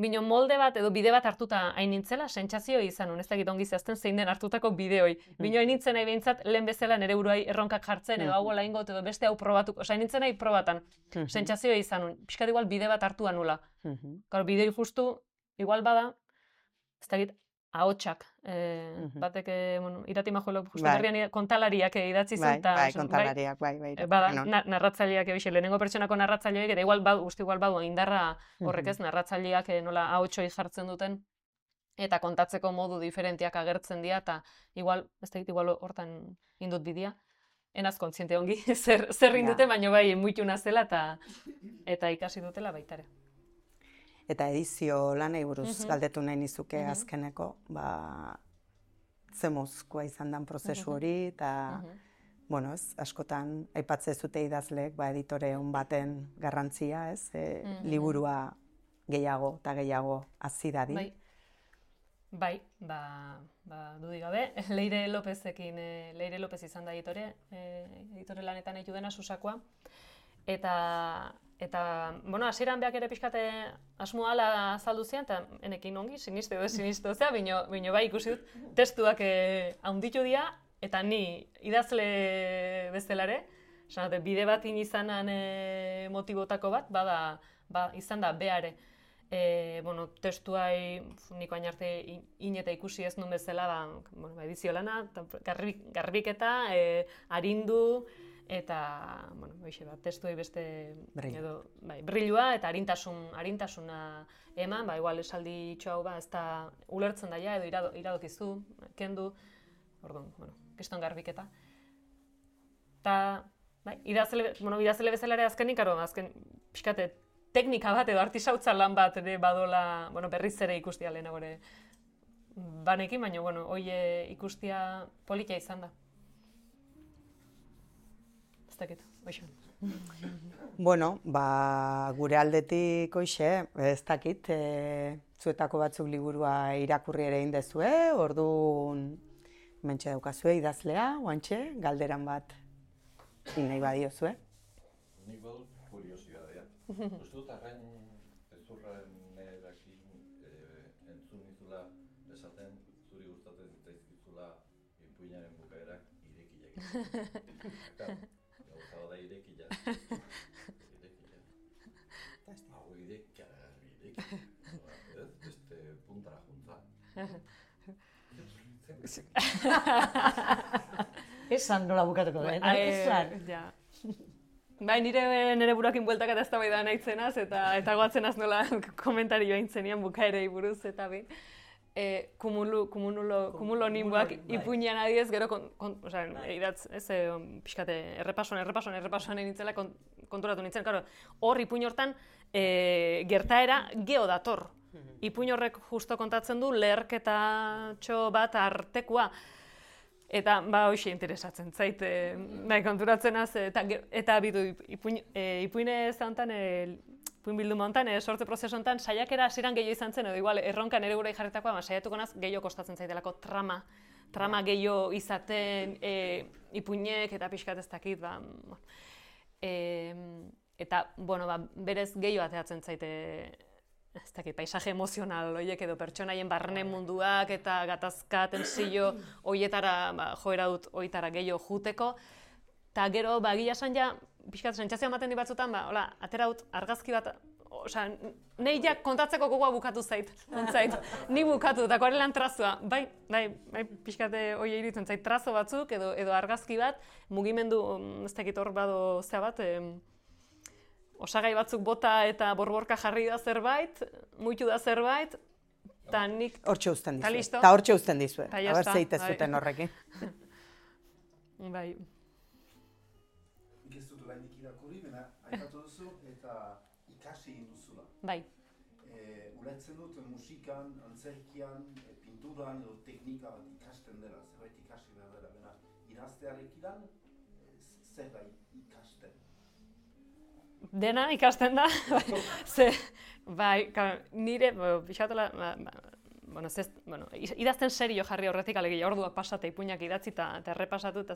bino molde bat edo bide bat hartuta hain nintzela, sentsazio izan, ez dakit ongi zehazten zein den hartutako bideoi. Bino hain nintzen nahi behintzat, lehen bezala nire buruai erronkak jartzen, edo hau laingot, edo beste hau probatu, oza, hain nintzen nahi probatan, sentsazio izan, pixkat igual bide bat hartua nula. Garo, bidei justu, igual bada, ez dakit, ahotsak, eh, batek, eh, bueno, Irati Majuelo, justu Bai. berrian kontalariak eh, idatzi zen, Bai, eta, bai, esan, kontalariak, bai, bai. Eh, bada, Denon. na- narratzaileak ebixe, lehenengo pertsonako narratzaileak, eta igual badu, uste igual badu indarra horrek ez, narratzaileak eh, nola ahotsoi jartzen duten, eta kontatzeko modu diferentiak agertzen dira, eta igual, ez dakit, igual hortan indut bidea. Enaz kontziente ongi, zer, zer indute, Ja. baino bai muituna zela, eta, eta ikasi dutela baitare. Eta edizio lanei buruz Mhm. galdetu nahi nizuke Mhm. azkeneko, ba, zemozkoa izan dan prozesu hori, eta, bueno, ez, askotan aipatzen zute idazleek, ba, editore on baten garrantzia, ez, e, Mhm. liburua gehiago eta gehiago hazi dadin. Bai, bai, ba, ba dudik gabe, Leire Lopezekin, e, Leire Lopez izan da editore, e, editore lanetan eitu dena Susakoa, eta, eta, bueno, hasieran beak ere pixkate asmo ala azaldu zian, eta enekin ongi, siniste edo sinistu zea, bino, bino bai ikusi dut, testuak e, haunditu dira, eta ni idazle bezalare, esan dute, bide bat izanan e, motibotako bat, bada, ba, izan da beare. E, bueno, testuai niko hain arte in, in eta ikusi ez nun bezala, ba, bueno, ba, edizio lana, garbi, garbiketa, e, arindu, eta, bueno, hoxe, ba, testuei beste, Brillo. edo, bai, brillua eta arintasun, arintasuna eman, ba, igual esaldi itxo hau, ba, ez da ulertzen daia, edo irado, iradokizu, kendu, orduan, bueno, keston garbiketa. Ta, bai, idazle, bueno, idazle bezala ere azkenik, aro, azken, pixkate, teknika bat edo artisautza lan bat ere badola, bueno, berriz ere ikustia lehenago ere banekin, baina, bueno, hoi ikustia politia izan da. Ez dakit, hoxe. Bueno, ba, gure aldetik hoxe, ez dakit, e, zuetako batzuk liburua irakurri ere indezue, orduan mentxe daukazue idazlea, oantxe, galderan bat nahi badiozue. Nik badut kuriosidadea. Uste dut arrain ezurranekin eh, entzun nizula esaten zuri gustatzen zitzaizkizula ipuinaren bukaerak irekiak. Eta gauza da irekia. Irekia. Hau irekia, irekia. Ez, beste puntara junta. Esan nola bukatuko den, esan. Ja. Bai, nire nire buruakin bueltak eta eztabaida nahizenaz, eta eta goatzen az nola komentarioa intzenian bukaerei buruz, eta bi. E, kumulu, kumulo, kumulo nimboak ipuinean adiez, gero, kon, kon, oza, idatz, ez, e, pixkate, errepasoan, errepasoan, errepasoan egin nintzela kont, konturatu nintzen, karo, hor ipuin hortan e, gertaera geo dator. Ipuin horrek justo kontatzen du leherketatxo bat artekua. Eta, ba, hoxe interesatzen zait, e, nahi konturatzen az, eta, eta bidu, ipuin, e, ipuine ez honetan, e, ipuin bilduma honetan, e, sortze prozesu honetan, saiakera hasieran gehiago izan zen, edo igual, erronka nire gure jarritakoa, ba, saiatuko naz, gehiago kostatzen zaitelako trama, trama gehiago izaten, e, ipuinek eta pixkat ez dakit, ba, e, eta, bueno, ba, berez gehiago ateatzen zaite, ez dakit, paisaje emozional horiek edo pertsonaien barne munduak eta gatazka, tensio horietara, ba, joera dut horietara gehiago juteko. Ta gero, ba, gila esan ja, pixkat, sentsazioa ematen di batzutan, ba, hola, atera dut argazki bat, osea, nahi ja kontatzeko gogoa bukatu zait, ontzait, ni bukatu, eta koarelan trazua, bai, bai, bai, pixkate hori iritzen zait, trazo batzuk edo, edo argazki bat, mugimendu, ez dakit hor bado zea bat, em, osagai batzuk bota eta borborka jarri da zerbait, muitu da zerbait, eta nik... Hortxe uzten Ta dizue. listo. Eta hortxe uzten dizue. Ta ya Aber está, zeite bai. zuten horrekin. Bai, Nik ez dut oraindik irakurri, baina aipatu duzu eta ikasi egin duzula. bai. E, ulertzen dut musikan, antzerkian, e, pinturan edo teknika bat ikasten dela, zerbait ikasi behar dela, baina idaztearekin e, zer da ikasten. Dena ikasten da, ze, bai, ka, nire, pixatola, ba, ba, bueno, zez, bueno, idazten serio jarri horretik alegia, orduak pasate ipuinak idatzi eta errepasatu, eta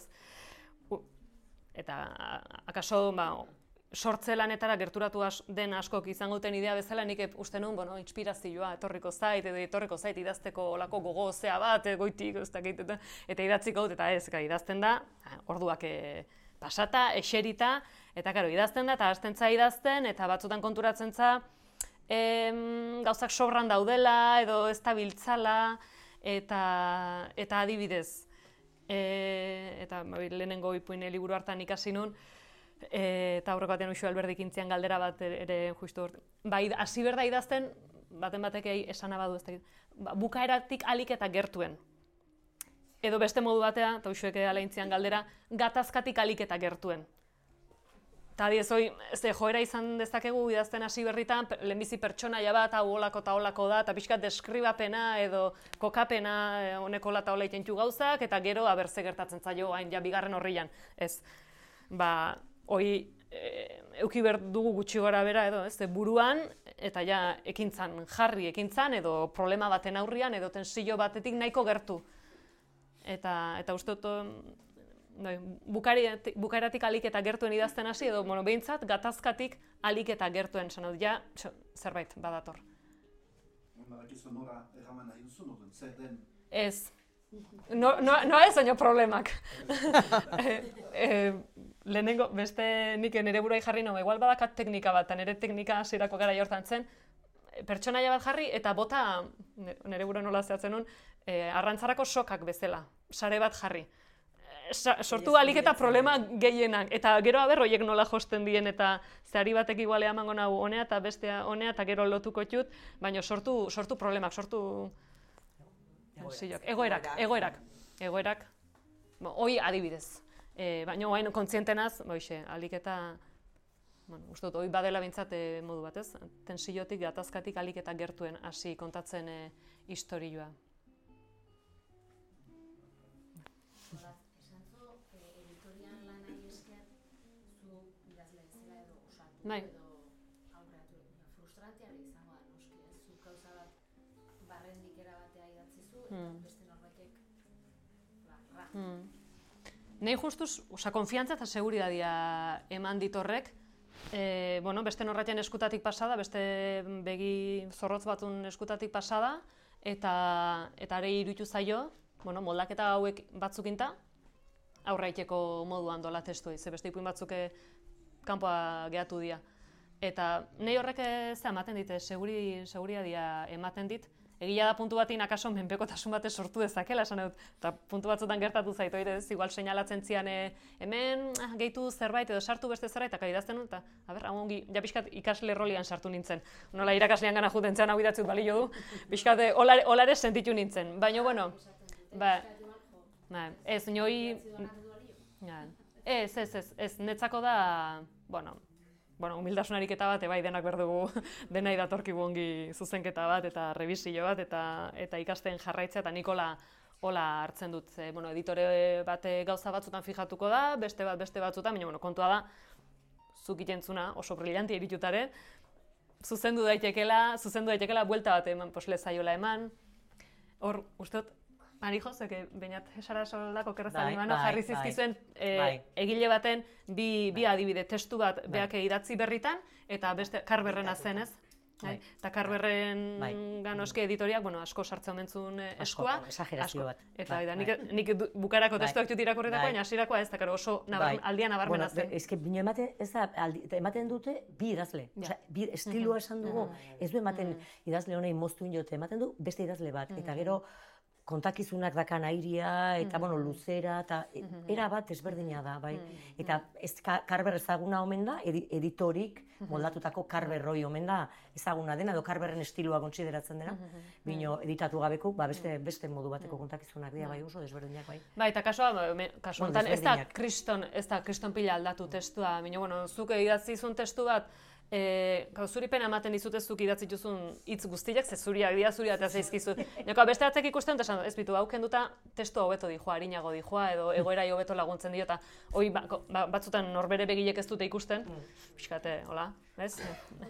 eta akaso ba, sortze lanetara gerturatu as, den askok izango duten idea bezala, nik uste nuen, bueno, inspirazioa etorriko zait, edo etorriko zait idazteko olako gogo zea bat, goitik, ez dakit, eta, eta idatziko dut, eta ez, gara, idazten da, orduak e, pasata, eserita, eta karo, idazten da, eta hasten za idazten, eta batzutan konturatzen za, em, gauzak sobran daudela, edo ez da biltzala, eta, eta adibidez, e, eta lehenengo ipuine liburu hartan ikasi nun, E, eta aurreko batean Uxu Alberdik intzian galdera bat ere justu hor. Ba, hasi berda idazten, baten batek esana badu ez da, ba, bukaeratik alik eta gertuen. Edo beste modu batea, eta Uxuek ala intzian galdera, gatazkatik alik eta gertuen. Eta adiez, hoi, ze joera izan dezakegu idazten hasi berritan, lehenbizi pertsonaia bat, hau olako eta olako da, eta pixkat deskribapena edo kokapena honeko lata hola itentu gauzak, eta gero abertze gertatzen zaio, hain ja bigarren horrian. Ez, ba, hoi e, euki behar dugu gutxi gara bera edo, ez, buruan, eta ja ekintzan jarri ekintzan, edo problema baten aurrian, edo tensio batetik nahiko gertu. Eta, eta uste dut, no, bukaeratik alik eta gertuen idazten hasi, edo bueno, behintzat gatazkatik alik eta gertuen, sanot, ja, zerbait badator. Badakizu nora erraman nahi duzu, noten, zer den? Ez. No, no, no ez oino problemak. e, e, lehenengo, beste nik nire buruai jarri no, igual badakat teknika bat, eta nire teknika hasierako gara jortan zen, pertsonaia bat jarri eta bota, nire buru nola zehatzen nun, e, arrantzarako sokak bezala, sare bat jarri. Sa, sortu alik eta problema gehienak, eta gero aber horiek nola josten dien, eta zehari batek igualea emango nahu honea eta bestea honea, eta gero lotuko txut, baina sortu, sortu problemak, sortu... Zilok, egoerak, egoerak, egoerak, bo, hoi adibidez, e, baina hain kontzientenaz, boixe, alik eta, bueno, uste dut, hoi badela bintzat e, modu batez, tensiotik, gatazkatik alik eta gertuen hasi kontatzen e, istorioa. Esan zu, editorian lanai esker, zu idazle zela edo osatu, Bai. edo aurreatu, frustrantea izango da, noski, ez, zu gauza bat barrendik erabatea idatzi zu, eta Hmm. beste norbaitek, ba, ra. Hmm. Nei justuz, oza, konfiantza eta seguridadia eman ditorrek, e, bueno, beste norratien eskutatik pasada, beste begi zorrotz batun eskutatik pasada, eta eta are iruditu zaio, bueno, moldaketa hauek batzukinta, aurraiteko moduan dola testuei, ze beste ipuin batzuk kanpoa gehatu dira. Eta nei horrek ze ematen dit, seguri, seguridadia ematen dit, egia da puntu batin akaso menpekotasun batez sortu dezakela, esan dut, eta puntu batzutan gertatu zaitu, ez, igual seinalatzen zian hemen ah, gehitu zerbait edo sartu beste zerbait, eta idazten dut, eta, a ber, hau ongi, ja pixkat ikasle rolian sartu nintzen. Nola irakaslean gana juten zen hau idatzut balio du, pixkat olare, olare sentitu nintzen. Baina, bueno, ba, ba, ez, nioi... Ja, ez, ez, ez, ez, netzako da, bueno, bueno, humildasun ariketa bat, bai denak behar dugu, denai datorkigu ongi zuzenketa bat, eta revisio bat, eta, eta ikasten jarraitzea, eta nik hola, hola hartzen dut. Ze, bueno, editore bat gauza batzutan fijatuko da, beste bat beste batzutan, baina bueno, kontua da, zuk itentzuna oso brillanti eritutare, zuzendu daitekela, zuzendu daitekela buelta bat eman, posle zaiola eman. Hor, uste dut, Marijo, zeke bainat esara soldako kerrezan Bai, imano bai, jarri bai. zizkizuen e, Bai. egile baten bi, bi Bai. adibide, testu bat beak idatzi berritan, eta beste Karberrena zen ez. Bai. Eta Karberren Bai. ganoske editoriak, bueno, asko sartzen omentzun eh, Asko, eskua. exagerazio asko. bat. Eta Bai, da, bai. nik, nik du- bukarako Bai. testuak dut irakurritako, Bai. baina hasirakoa ez da, karo, oso nabar, Bai. aldia nabarmena Bueno, zen. eske bino ematen, ez da, aldi, eta ematen dute bi idazle. Ja. Osea, bi estiloa esan dugu, ez du ematen Mhm. idazle honei moztu inote, ematen du beste idazle bat. Eta Mhm. gero kontakizunak dakan airia, eta Mhm. bueno, luzera, eta e- Mhm. era bat ezberdina da, bai. Mhm. Eta ez ka- Karber ezaguna omen da, edi- editorik Mhm. moldatutako Karberroi omen da ezaguna dena, edo Karberren estiloa kontsideratzen dena. Mhm. Bino editatu gabeko, ba beste beste modu bateko kontakizunak dira, bai, oso desberdinak, bai. Bai, eta kasua, ba, me- kasu Bueno, honetan, ez da desberdinak. kriston, ez da kriston pila aldatu testua, baina, bueno, zuk idatzizun testu bat, e, zuri pena ematen dizute zuk idatzi duzun hitz guztiak, ze zuriak dira, zuriak eta zaizkizu. Neko, beste batek ikusten, eta esan, ez bitu, hau kenduta testu hobeto dijoa, harinago dijoa, edo egoerai hobeto laguntzen dio, eta hoi ba, ko- ba, batzutan norbere begilek ez dute ikusten, pixkate, hola, ez?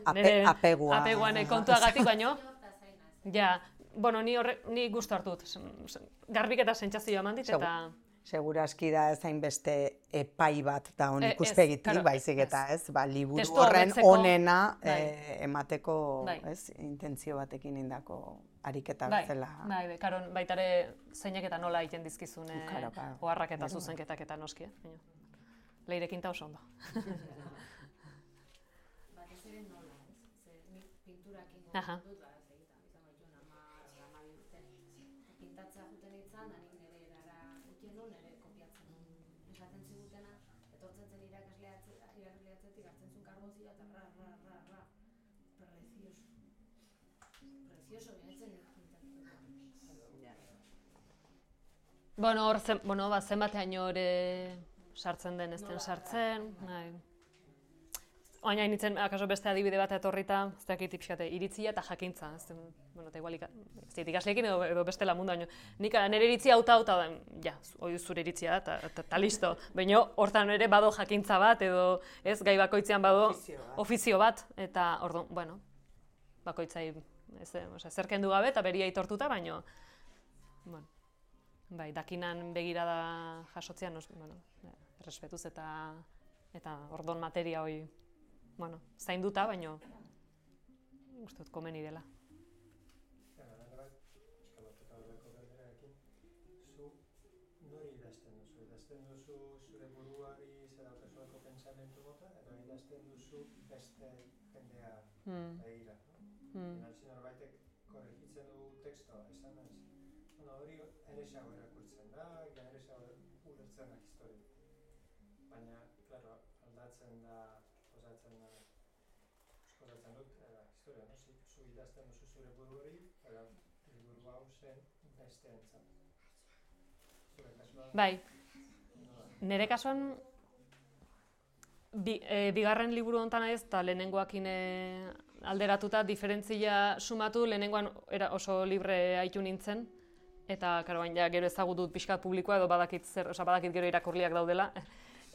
Ape- Nire apegua. apeguan kontuagatik baino, ja, bueno, ni horre, ni gustu hartu dut, garbik eta sentsazioa eman dit, eta... Seguraski da ez hainbeste epai bat da hon E- ez, ikuspegitik, claro, baizik eta ez, ba, liburu Testua horren hobetzeko, onena bai. eh, emateko, Bai. ez, intentzio batekin indako ariketa Bai, bezala. bai, bai, karo, baita ere zeinek eta nola egiten dizkizun eh, Claro, claro. oharrak eta Gero. zuzenketak eta noski, eh? baina leirekin ta oso ondo. Batez ere nola, ez? Ze nik pinturakin Aha. dut, ba, ez egitan, izango dituen hamar, hamabi urte. Pintatzea juten itzan, da nik nire erara utien nuen, nire kopiatzen nuen esaten zigutena, etortzen zen irakasleatze- irakasleatzetik hartzen zuen karbozioa eta ra, ra, ra, ra. Precioso. Precioso, benetzen Bueno, hor zen, bueno, ba, zenbateaino ere sartzen den, ez den sartzen, nahi. Oaina initzen, akaso beste adibide bat etorrita, ez dakit pixkate, iritzia eta jakintza, ez den, bueno, eta igual, ika- ez dit ikasleekin edo, edo bestela mundu, baino, nik ah, nire iritzia hauta hauta da, ja, hori zure iritzia da, eta- eta eta listo. Baina hortan ere bado jakintza bat, edo ez, gai bakoitzean bado Ofizio bat. ofizio bat, eta orduan, bueno, bakoitzai, ez, eh, osea, zer kendu gabe eta beria aitortuta, baino, bueno, bai, dakinan begirada jasotzean, os- bueno, eh, errespetuz eta eta ordon materia hori, bueno, zainduta, baino uste dut komeni dela. Eskalatuta horreko galderarekin, zu nori idazten duzu? Idazten duzu zure buruari zer daukazulako pentsamentu mota, edo idazten duzu beste jendea Hmm. begira, no? Hmm. Finalzi norbaitek korrigitzen du tekstoa, esan ez. Bueno, hori eresago erakurtzen da, ja eresago ulertzen da historia. Baina, claro, aldatzen da, osatzen da, osatzen dut, eh, historia, no? Si, zu idazten duzu zure buruari, pero liburu hau zen besteentzat. Zure kasuan, Bai, nola? nire kasuan bi, e, bigarren liburu honetan ez, eta lehenengoakin e, alderatuta diferentzia sumatu, lehenengoan era oso libre haitu nintzen, eta karo, baina ja, gero ezagut dut pixkat publikoa edo badakit zer, osea, badakit gero irakurliak daudela.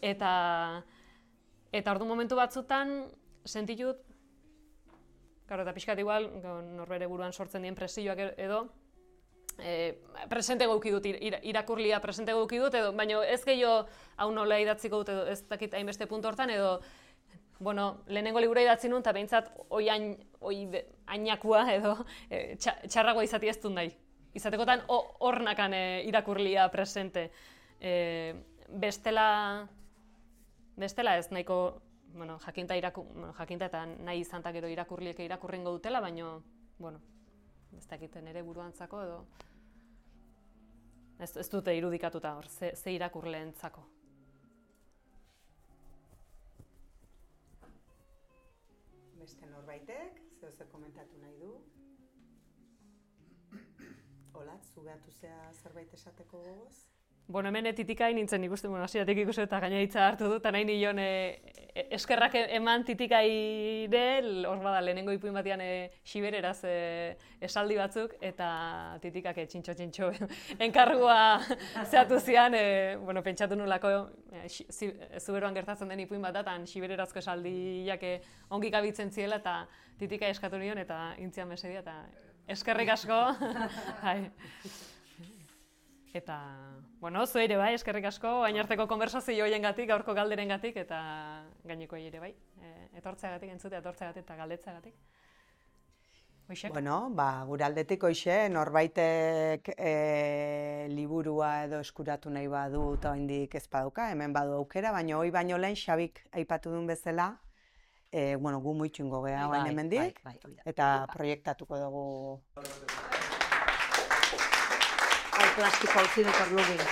Eta eta ordu momentu batzutan sentitut, karo, eta pixkat igual, go- norbere buruan sortzen dien presioak e- edo, e, presente gauki dut, ir- irakurlia presente gauki dut, edo, baina ez gehiago hau nola idatziko dut, edo ez dakit hainbeste puntu hortan, edo, bueno, lehenengo libura idatzi nuen, eta behintzat oi, hain, oi be- hainakua edo e, txa, txarragoa izati ez dut nahi. Izatekotan ho- hor nakan e, irakurlia presente. E, bestela, bestela ez nahiko, bueno, jakinta, iraku, bueno, jakinta eta nahi izan ta gero irakurliek irakurrengo dutela, baina, bueno, ez dakiten ere buruantzako edo ez, ez dute irudikatuta hor, ze, ze irakurleentzako. Beste norbaitek, zeo zer komentatu nahi du? Olatz, zugatu zea zerbait esateko gogoz? Bueno, hemen titikai nintzen ikusten, bueno, hasieratik ikusten eta gaina hitza hartu dut, eta nahi nion e, e, eskerrak eman titikaire, hor bada lehenengo ipuin batean e, xibereraz e, esaldi batzuk, eta titikak e, txintxo-txintxo enkargua zehatu zian, e, bueno, pentsatu nulako e, xi- zi- zuberoan gertatzen den ipuin bat da, eta xibererazko esaldiak e, ongi gabitzen ziela, eta titika eskatu nion, eta intzian mesedia, eta eskerrik asko. Bai. Eta, bueno, zu ere bai, eskerrik asko, bain arteko konversazio hoiengatik, gaurko galderengatik, eta gainekoei ere bai, e, etortzeagatik, entzutea etortzeagatik eta galdetzeagatik. Hoixek? Bueno, ba, gure aldetik hoxe, norbaitek e, liburua edo eskuratu nahi badu eta oraindik ez baduka, hemen badu aukera, baina hoi baino lehen Xabik aipatu duen bezala, e, bueno, gu muitxungo gea Bai, orain hemendik, bai, bai, hori da. eta proiektatuko dugu Hau plastikoa utzi dut orlugin.